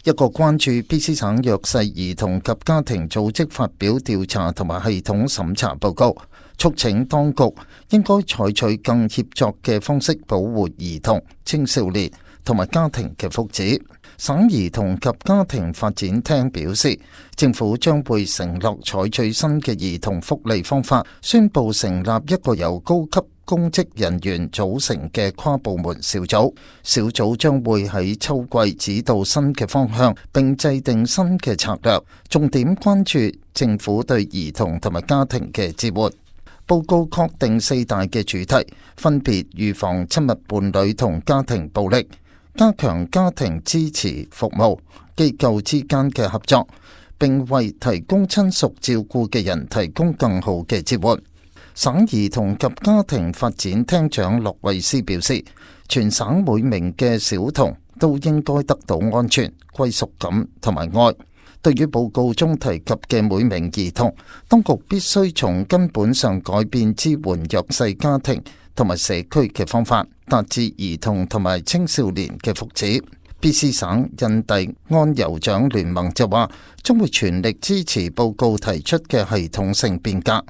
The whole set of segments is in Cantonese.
一個關注 BC 省弱勢兒童及家庭組織發表調查同埋系統審查報告，促請當局應該採取更協作嘅方式保護兒童、青少年同埋家庭嘅福祉。省兒童及家庭發展廳表示，政府將會承諾採取新嘅兒童福利方法，宣布成立一個由高級公職人員組成嘅跨部門小組，小組將會喺秋季指導新嘅方向，並制定新嘅策略，重點關注政府對兒童同埋家庭嘅支援。報告確定4大嘅主題，分別預防親密伴侶同家庭暴力、加強家庭支持服務、機構之間嘅合作，並為提供親屬照顧嘅人提供更好嘅支援。省兒童及家庭發展廳長洛維斯表示，全省每名嘅小童都應該得到安全、歸屬感同埋愛。對於報告中提及嘅每名兒童，當局必須從根本上改變支援弱勢家庭同埋社區嘅方法，達至兒童同埋青少年嘅福祉。BC 省印第安酋長聯盟就話，將會全力支持報告提出嘅系統性變革。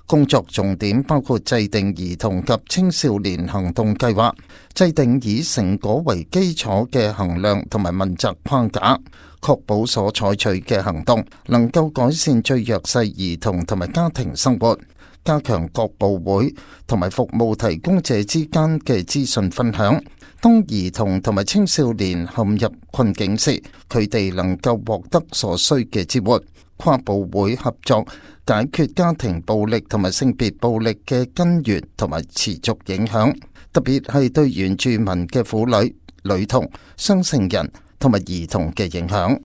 工作重點包括制定兒童及青少年行動計劃，制定以成果為基礎嘅衡量同埋問責框架，確保所採取嘅行動能夠改善最弱勢兒童同埋家庭生活，加強各部會同埋服務提供者之間嘅資訊分享。當兒童同埋青少年陷入困境時，佢哋能夠獲得所需嘅支援。跨部會合作解決家庭暴力同埋性別暴力嘅根源同埋持續影響，特別係對原住民嘅婦女、女童、雙性人同埋兒童嘅影響。